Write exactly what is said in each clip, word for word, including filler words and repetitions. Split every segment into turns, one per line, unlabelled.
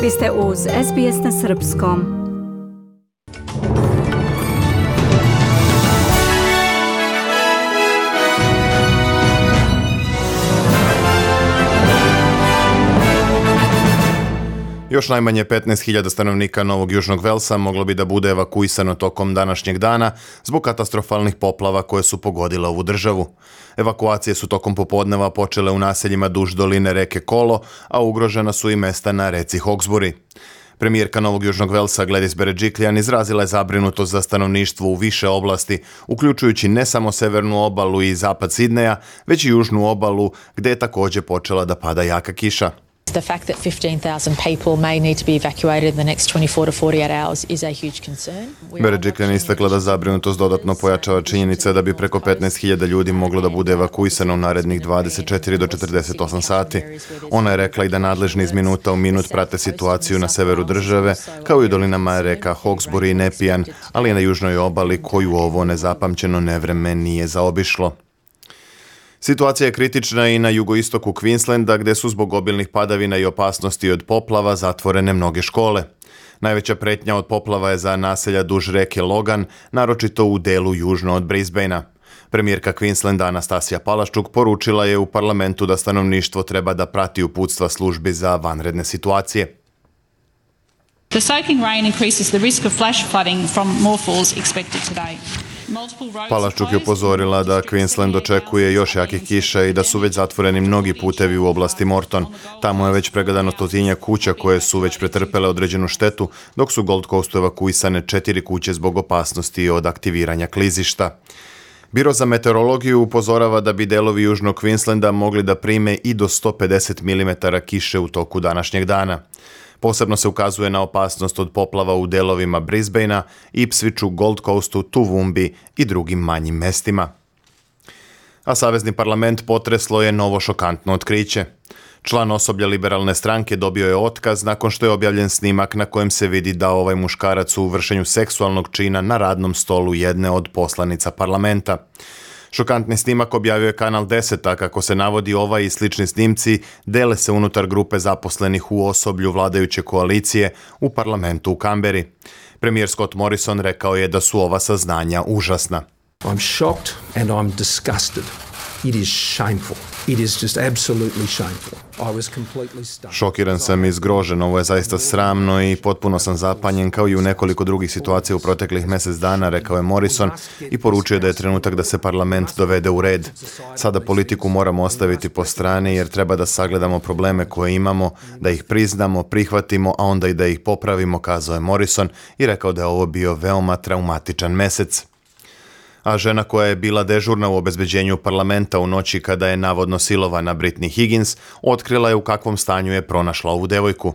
Vi ste uz S B S na srpskom.
Još najmanje petnaest hiljada stanovnika Novog Južnog Velsa moglo bi da bude evakuisano tokom današnjeg dana zbog katastrofalnih poplava koje su pogodile ovu državu. Evakuacije su tokom popodneva počele u naseljima duž doline reke Kolo, a ugrožena su i mesta na reci Hawkesbury. Premijerka Novog Južnog Velsa Gladys Berejiklian izrazila je zabrinutost za stanovništvo u više oblasti, uključujući ne samo severnu obalu i zapad Sidneja, već i južnu obalu gdje je također počela da pada jaka kiša.
The fact that fifteen thousand people may need to be evacuated in the next twenty-four to forty-eight hours is a huge concern.
Berejiklian je istakla da zabrinutost dodatno pojačava činjenica da bi preko petnaest hiljada ljudi moglo da bude evakuisano u narednih dvadeset četiri do četrdeset osam sati. Ona je rekla i da nadležni iz minuta u minut prate situaciju na severu države, kao i u dolinama reka Hawkesbury i Nepean, ali i na južnoj obali koju ovo nezapamćeno nevreme nije zaobišlo. Situacija je kritična i na jugoistoku Queenslanda, gdje su zbog obilnih padavina i opasnosti od poplava zatvorene mnoge škole. Najveća pretnja od poplava je za naselja duž reke Logan, naročito u delu južno od Brisbanea. Premijerka Queenslanda Anastasija Palaszczuk poručila je u parlamentu da stanovništvo treba da prati uputstva službi za vanredne situacije.
The soaking rain increases the risk of flash flooding from more falls expected today.
Palaszczuk je upozorila da Queensland očekuje još jakih kiša i da su već zatvoreni mnogi putevi u oblasti Morton. Tamo je već pregledano stotinjak kuća koje su već pretrpele određenu štetu, dok su Gold Coastu evakuisane četiri kuće zbog opasnosti od aktiviranja klizišta. Biro za meteorologiju upozorava da bi delovi južnog Queenslanda mogli da prime i do sto pedeset milimetara kiše u toku današnjeg dana. Posebno se ukazuje na opasnost od poplava u delovima Brisbanea, Ipswichu, Gold Coastu, Toowoomba i drugim manjim mestima. A Savezni parlament potreslo je novo šokantno otkriće. Član osoblja liberalne stranke dobio je otkaz nakon što je objavljen snimak na kojem se vidi da ovaj muškarac u vršenju seksualnog čina na radnom stolu jedne od poslanica parlamenta. Šokantni snimak objavio je Kanal deset, a kako se navodi, ovaj i slični snimci dele se unutar grupe zaposlenih u osoblju vladajuće koalicije u parlamentu u Kamberi. Premijer Scott Morrison rekao je da su ova saznanja užasna.
I'm shocked and I'm disgusted. It is shameful. It is just absolutely shameful. I was completely stunned.
Šokiran sam i zgrožen, ovo je zaista sramno i potpuno sam zapanjen kao i u nekoliko drugih situacija u proteklih mjesec dana, rekao je Morrison i poručio da je trenutak da se parlament dovede u red. Sada politiku moramo ostaviti po strani jer treba da sagledamo probleme koje imamo, da ih priznamo, prihvatimo, a onda i da ih popravimo, kazao je Morrison i rekao da je ovo bio veoma traumatičan mesec. A žena koja je bila dežurna u obezbeđenju parlamenta u noći kada je navodno silovana Britney Higgins, otkrila je u kakvom stanju je pronašla ovu devojku.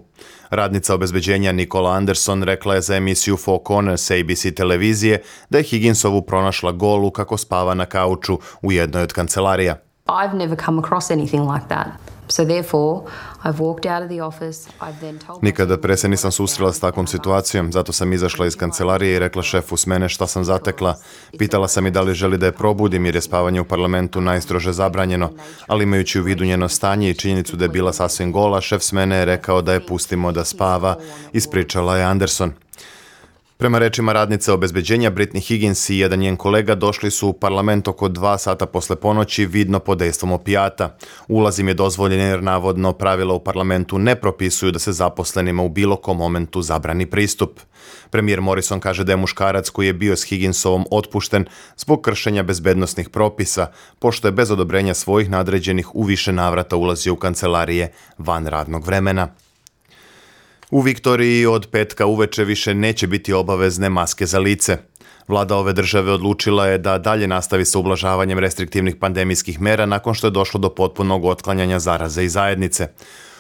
Radnica obezbeđenja Nicola Anderson rekla je za emisiju Four Corners A B C televizije da je Higginsovu pronašla golu kako spava na kauču u jednoj od kancelarija.
I've never come across anything like that. So therefore, I've walked out of the office. I've then told
Nikada pre se nisam susrela s takvom situacijom, zato sam izašla iz kancelarije i rekla šefu s mene šta sam zatekla. Pitala sam i da li želi da je probudim jer je spavanje u parlamentu najstrože zabranjeno, ali imajući u vidu njeno stanje i činjenicu da je bila sasvim gola, šef s mene je rekao da je pustimo da spava, ispričala je Anderson. Prema rečima radnice obezbeđenja, Britney Higgins i jedan njen kolega došli su u parlament oko dva sata posle ponoći vidno pod dejstvom opijata. Ulaz im je dozvoljen jer navodno pravila u parlamentu ne propisuju da se zaposlenima u bilo kom momentu zabrani pristup. Premijer Morrison kaže da je muškarac koji je bio s Higginsovom otpušten zbog kršenja bezbednosnih propisa, pošto je bez odobrenja svojih nadređenih u više navrata ulazio u kancelarije van radnog vremena. U Viktoriji od petka uveče više neće biti obavezne maske za lice. Vlada ove države odlučila je da dalje nastavi sa ublažavanjem restriktivnih pandemijskih mera nakon što je došlo do potpunog otklanjanja zaraze i zajednice.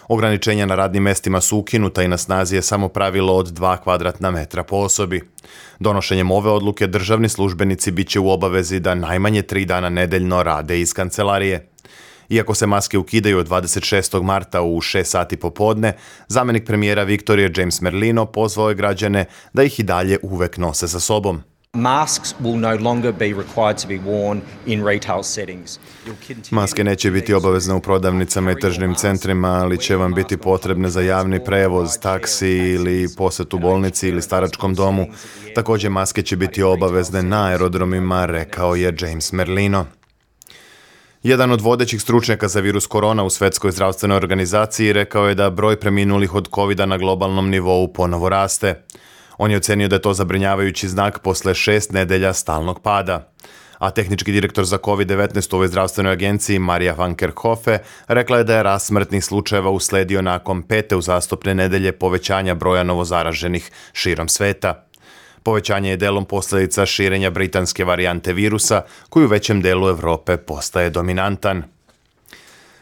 Ograničenja na radnim mestima su ukinuta i na snazi je samo pravilo od dva kvadratna metra po osobi. Donošenjem ove odluke državni službenici bit će u obavezi da najmanje tri dana nedeljno rade iz kancelarije. Iako se maske ukidaju od dvadeset šestog marta u šest sati popodne, zamenik premijera Viktorije James Merlino pozvao je građane da ih i dalje uvek nose sa sobom.
Masks will no longer be required to be worn in retail settings.
Maske neće biti obavezne u prodavnicama i tržnim centrima, ali će vam biti potrebne za javni prevoz, taksi ili posjetu bolnici ili staračkom domu. Također maske će biti obavezne na aerodromima, rekao je James Merlino. Jedan od vodećih stručnjaka za virus korona u Svjetskoj zdravstvenoj organizaciji rekao je da broj preminulih od kovida na globalnom nivou ponovo raste. On je ocenio da je to zabrinjavajući znak posle šest nedelja stalnog pada. A tehnički direktor za kovid devetnaest u ovoj zdravstvenoj agenciji, Marija van Kerkhove, rekla je da je rast smrtnih slučajeva usledio nakon pete uzastopne nedelje povećanja broja novozaraženih širom sveta. Povećanje je delom posljedica širenja britanske varijante virusa, koji u većem delu Europe postaje dominantan.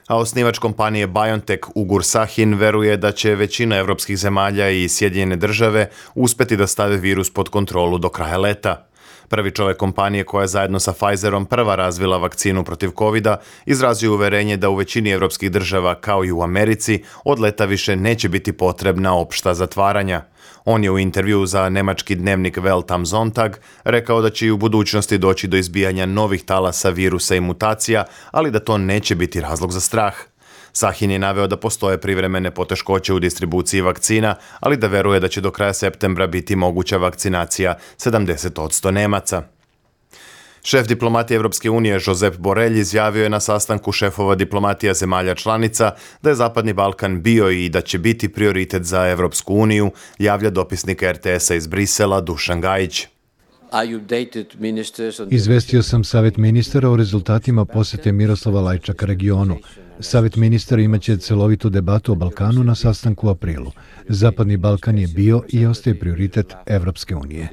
A osnivač kompanije BioNTech Ugur Sahin veruje da će većina evropskih zemalja i Sjedinjene države uspeti da stave virus pod kontrolu do kraja leta. Prvi čovjek kompanije koja je zajedno sa Pfizerom prva razvila vakcinu protiv kovida izrazio uverenje da u većini evropskih država kao i u Americi od leta više neće biti potrebna opšta zatvaranja. On je u intervju za nemački dnevnik Welt am Sonntag rekao da će i u budućnosti doći do izbijanja novih talasa virusa i mutacija, ali da to neće biti razlog za strah. Sahin je naveo da postoje privremene poteškoće u distribuciji vakcina, ali da veruje da će do kraja septembra biti moguća vakcinacija sedamdeset posto Nemaca. Šef diplomatije Evropske unije Josep Borrell izjavio je na sastanku šefova diplomatija zemalja članica da je Zapadni Balkan bio i da će biti prioritet za Evropsku uniju, javlja dopisnik er te esa iz Brisela Dušan Gajić.
Izvestio sam Savet ministara o rezultatima posete Miroslava Lajčaka regionu. Savet ministara imaće celovitu debatu o Balkanu na sastanku u aprilu. Zapadni Balkan je bio i ostaje prioritet Evropske unije.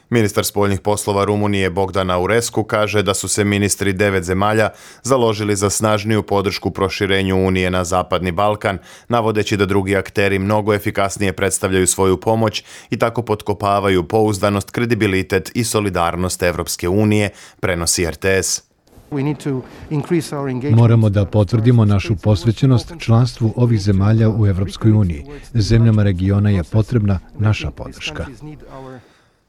Ministar spoljnih poslova Rumunije Bogdan Aurescu kaže da su se ministri devet zemalja založili za snažniju podršku proširenju Unije na Zapadni Balkan, navodeći da drugi akteri mnogo efikasnije predstavljaju svoju pomoć i tako potkopavaju pouzdanost, kredibilitet i solidarnost Evropske unije, prenosi er te es.
Moramo da potvrdimo našu posvećenost članstvu ovih zemalja u Evropskoj uniji. Zemljama regiona je potrebna naša podrška.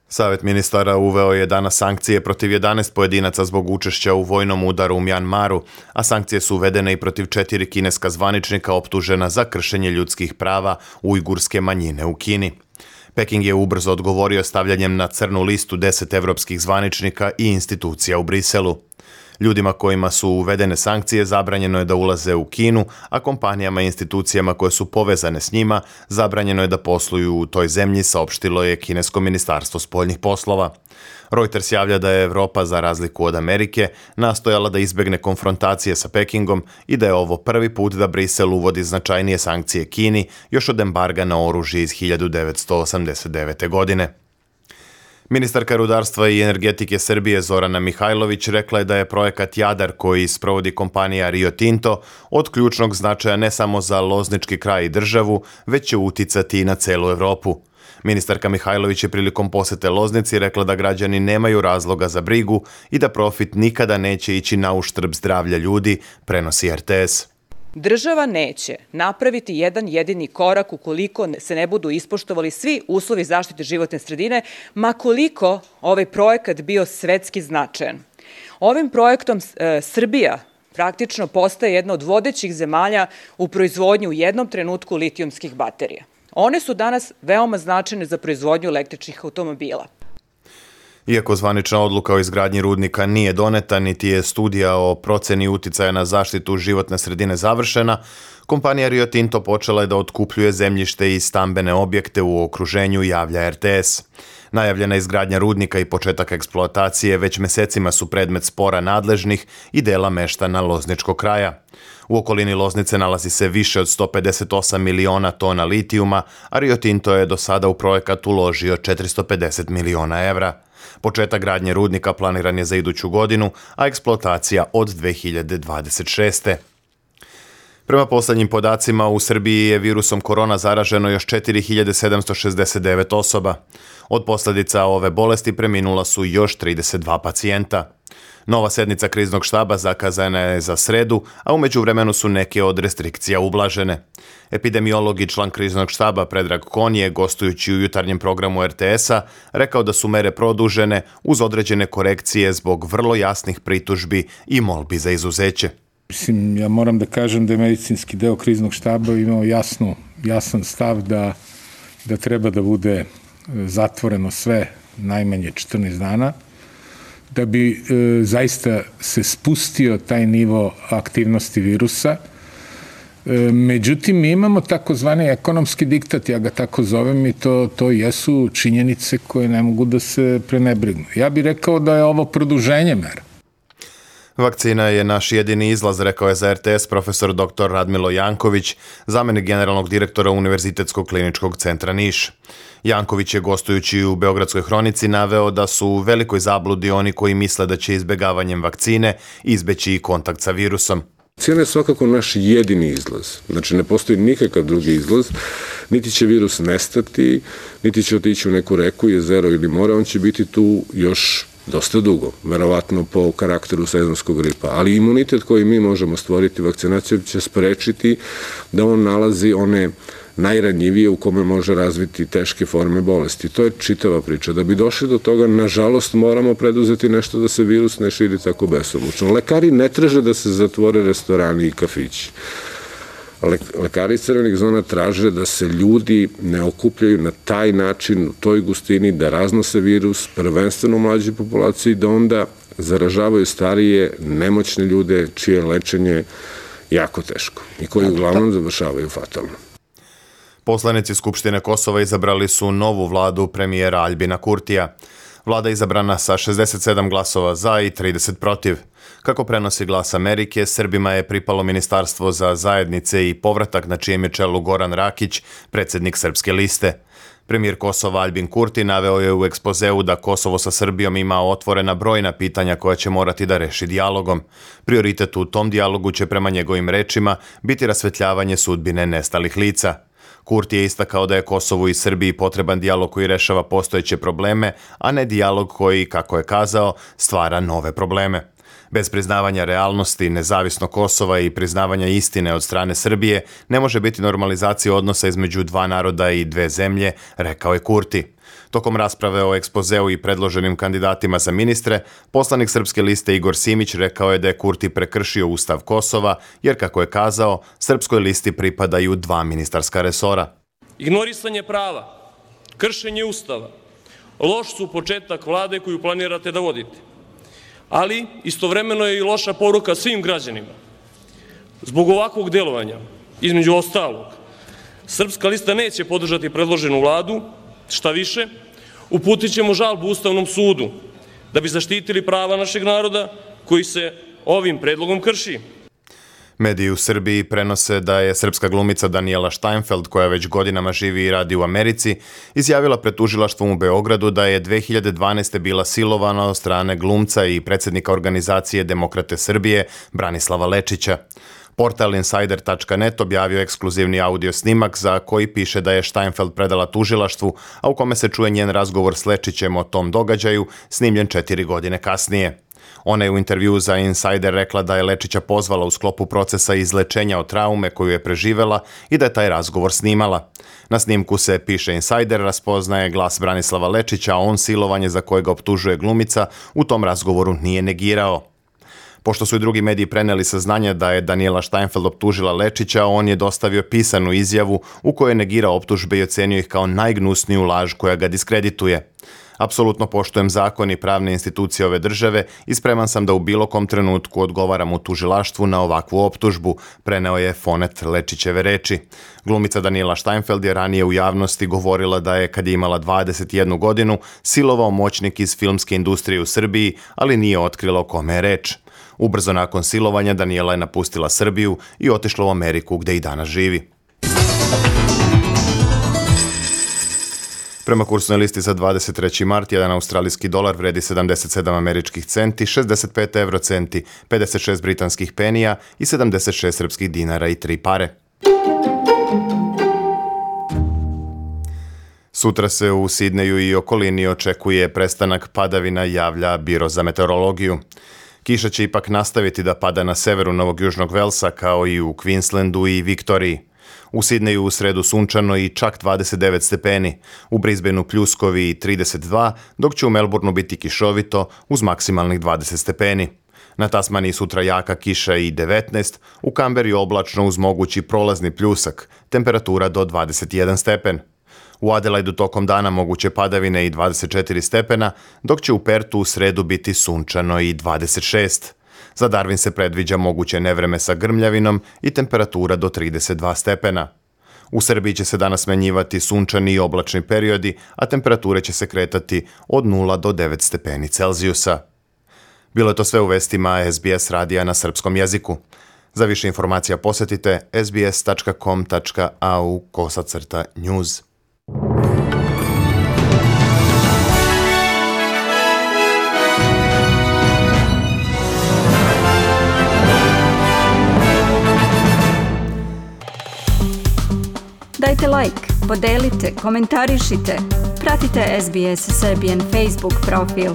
Savet ministara uveo je danas sankcije protiv jedanaest pojedinaca zbog učešća u vojnom udaru u Mjanmaru, a sankcije su uvedene i protiv četiri kineska zvaničnika optužena za kršenje ljudskih prava ujgurske manjine u Kini. Peking je ubrzo odgovorio stavljanjem na crnu listu deset evropskih zvaničnika i institucija u Briselu. Ljudima kojima su uvedene sankcije zabranjeno je da ulaze u Kinu, a kompanijama i institucijama koje su povezane s njima zabranjeno je da posluju u toj zemlji, saopštilo je kinesko ministarstvo spoljnih poslova. Reuters javlja da je Evropa, za razliku od Amerike, nastojala da izbegne konfrontacije sa Pekingom i da je ovo prvi put da Brisel uvodi značajnije sankcije Kini još od embarga na oružje iz hiljadu devetsto osamdeset devete. godine. Ministarka rudarstva i energetike Srbije Zorana Mihajlović rekla je da je projekat Jadar koji sprovodi kompanija Rio Tinto od ključnog značaja ne samo za loznički kraj i državu, već će uticati i na celu Evropu. Ministarka Mihajlović je prilikom posete Loznici rekla da građani nemaju razloga za brigu i da profit nikada neće ići na uštrb zdravlja ljudi, prenosi er te es.
Država neće napraviti jedan jedini korak ukoliko se ne budu ispoštovali svi uslovi zaštite životne sredine, ma koliko ovaj projekat bio svetski značajan. Ovim projektom e, Srbija praktično postaje jedna od vodećih zemalja u proizvodnju u jednom trenutku litijumskih baterija. One su danas veoma značajne za proizvodnju električnih automobila.
Iako zvanična odluka o izgradnji rudnika nije doneta, niti je studija o proceni uticaja na zaštitu životne sredine završena, kompanija Rio Tinto počela je da otkupljuje zemljište i stambene objekte u okruženju, javlja er te es. Najavljena izgradnja rudnika i početak eksploatacije već mesecima su predmet spora nadležnih i dela meštana Lozničkog kraja. U okolini Loznice nalazi se više od sto pedeset osam miliona tona litijuma, a Rio Tinto je do sada u projekat uložio četiristo pedeset miliona evra. Početak gradnje rudnika planiran je za iduću godinu, a eksploatacija od dve hiljade dvadeset šeste. Prema poslednjim podacima, u Srbiji je virusom korona zaraženo još četiri hiljade sedamsto šezdeset devet osoba. Od posledica ove bolesti preminula su još trideset dva pacijenta. Nova sednica kriznog štaba zakazana je za sredu, a u međuvremenu su neke od restrikcija ublažene. Epidemiolog i član kriznog štaba Predrag Kon je, gostujući u jutarnjem programu er te es-a, rekao da su mere produžene uz određene korekcije zbog vrlo jasnih pritužbi i molbi za izuzeće.
Mislim, ja moram da kažem da je medicinski deo kriznog štaba imao jasnu, jasan stav da, da treba da bude zatvoreno sve najmanje četrnaest dana, da bi e, zaista se spustio taj nivo aktivnosti virusa. E, međutim, mi imamo takozvani ekonomski diktat, ja ga tako zovem, i to, to jesu činjenice koje ne mogu da se prenebrignu. Ja bih rekao da je ovo produženje mera.
Vakcina je naš jedini izlaz, rekao je za er te es profesor doktor Radmilo Janković, zamenik generalnog direktora Univerzitetskog kliničkog centra Niš. Janković je, gostujući u Beogradskoj hronici, naveo da su u velikoj zabludi oni koji misle da će izbegavanjem vakcine izbeći i kontakt sa virusom.
Vakcina je svakako naš jedini izlaz. Znači, ne postoji nikakav drugi izlaz. Niti će virus nestati, niti će otići u neku reku, jezero ili more. On će biti tu još dosta dugo, verovatno po karakteru sezonskog gripa. Ali imunitet koji mi možemo stvoriti vakcinacijom će sprečiti da on nalazi one najranjivije u kome može razviti teške forme bolesti. To je čitava priča. Da bi došli do toga, nažalost, moramo preduzeti nešto da se virus ne širi tako besomučno. Lekari ne traže da se zatvore restorani i kafići. Lekari iz crvenih zona traže da se ljudi ne okupljaju na taj način, u toj gustini, da raznose virus, prvenstveno u mlađoj populaciji, da onda zaražavaju starije, nemoćne ljude, čije je lečenje jako teško i koji uglavnom završavaju fatalno.
Poslanici Skupštine Kosova izabrali su novu vladu premijera Aljbina Kurtija. Vlada je izabrana sa šezdeset sedam glasova za i trideset protiv. Kako prenosi Glas Amerike, Srbima je pripalo Ministarstvo za zajednice i povratak, na čijem je čelu Goran Rakić, predsjednik Srpske liste. Premijer Kosova Aljbin Kurti naveo je u ekspozeu da Kosovo sa Srbijom ima otvorena brojna pitanja koja će morati da reši dijalogom. Prioritet u tom dijalogu će, prema njegovim rečima, biti rasvetljavanje sudbine nestalih lica. Kurti je istakao da je Kosovu i Srbiji potreban dijalog koji rešava postojeće probleme, a ne dijalog koji, kako je kazao, stvara nove probleme. Bez priznavanja realnosti, nezavisno Kosova i priznavanja istine od strane Srbije ne može biti normalizacija odnosa između dva naroda i dve zemlje, rekao je Kurti. Tokom rasprave o ekspozeu i predloženim kandidatima za ministre, poslanik Srpske liste Igor Simić rekao je da je Kurti prekršio Ustav Kosova, jer, kako je kazao, Srpskoj listi pripadaju dva ministarska resora.
Ignorisanje prava, kršenje Ustava, loš su početak vlade koju planirate da vodite. Ali istovremeno je i loša poruka svim građanima. Zbog ovakvog delovanja, između ostalog, Srpska lista neće podržati predloženu vladu, šta više, uputit ćemo žalbu Ustavnom sudu da bi zaštitili prava našeg naroda koji se ovim predlogom krši.
Mediji u Srbiji prenose da je srpska glumica Daniela Steinfeld, koja već godinama živi i radi u Americi, izjavila pred tužilaštvom u Beogradu da je dve hiljade dvanaeste. bila silovana od strane glumca i predsjednika organizacije Demokrate Srbije Branislava Lečića. Portal insider tačka net objavio ekskluzivni audio snimak za koji piše da je Steinfeld predala tužilaštvu, a u kome se čuje njen razgovor s Lečićem o tom događaju, snimljen četiri godine kasnije. Ona je u intervjuu za Insider rekla da je Lečića pozvala u sklopu procesa izlečenja od traume koju je preživela i da je taj razgovor snimala. Na snimku se, piše Insider, raspoznaje glas Branislava Lečića, a on silovanje za koje ga optužuje glumica u tom razgovoru nije negirao. Pošto su i drugi mediji preneli saznanja da je Daniela Steinfeld optužila Lečića, on je dostavio pisanu izjavu u kojoj je negirao optužbe i ocenio ih kao najgnusniju laž koja ga diskredituje. Apsolutno poštujem zakon i pravne institucije ove države i spreman sam da u bilo kom trenutku odgovaram u tužilaštvu na ovakvu optužbu, preneo je Fonet Lečićeve reči. Glumica Daniela Steinfeld je ranije u javnosti govorila da je, kad je imala dvadeset jednu godinu, silovao moćnik iz filmske industrije u Srbiji, ali nije otkrila o kome je reč. Ubrzo nakon silovanja Daniela je napustila Srbiju i otišla u Ameriku, gde i danas živi. Prema kursnoj listi za dvadeset treći mart, jedan australijski dolar vredi sedamdeset sedam američkih centi, šezdeset pet evrocenti, pedeset šest britanskih penija i sedamdeset šest srpskih dinara i tri pare. Sutra se u Sidneju i okolini očekuje prestanak padavina, javlja Biro za meteorologiju. Kiša će ipak nastaviti da pada na severu Novog Južnog Velsa, kao i u Queenslandu i Viktoriji. U Sidneju u sredu sunčano i čak dvadeset devet stepeni, u Brisbaneu pljuskovi i trideset dva, dok će u Melbourneu biti kišovito uz maksimalnih dvadeset stepeni. Na Tasmaniji sutra jaka kiša i devetnaest, u Kamberi oblačno uz mogući prolazni pljusak, temperatura do dvadeset jedan stepen. U Adelaidu tokom dana moguće padavine i dvadeset četiri stepena, dok će u Pertu u sredu biti sunčano i dvadeset šest. Za Darwin se predviđa moguće nevreme sa grmljavinom i temperatura do trideset dva stepena. U Srbiji će se danas smenjivati sunčani i oblačni periodi, a temperature će se kretati od nula do devet stepeni Celzijusa. Bilo je to sve u vestima S B S radija na srpskom jeziku. Za više informacija posetite sbs tačka com tačka a u kosacrta news.
Dajte like, podelite, komentarišite. Pratite S B S Serbian Facebook profil.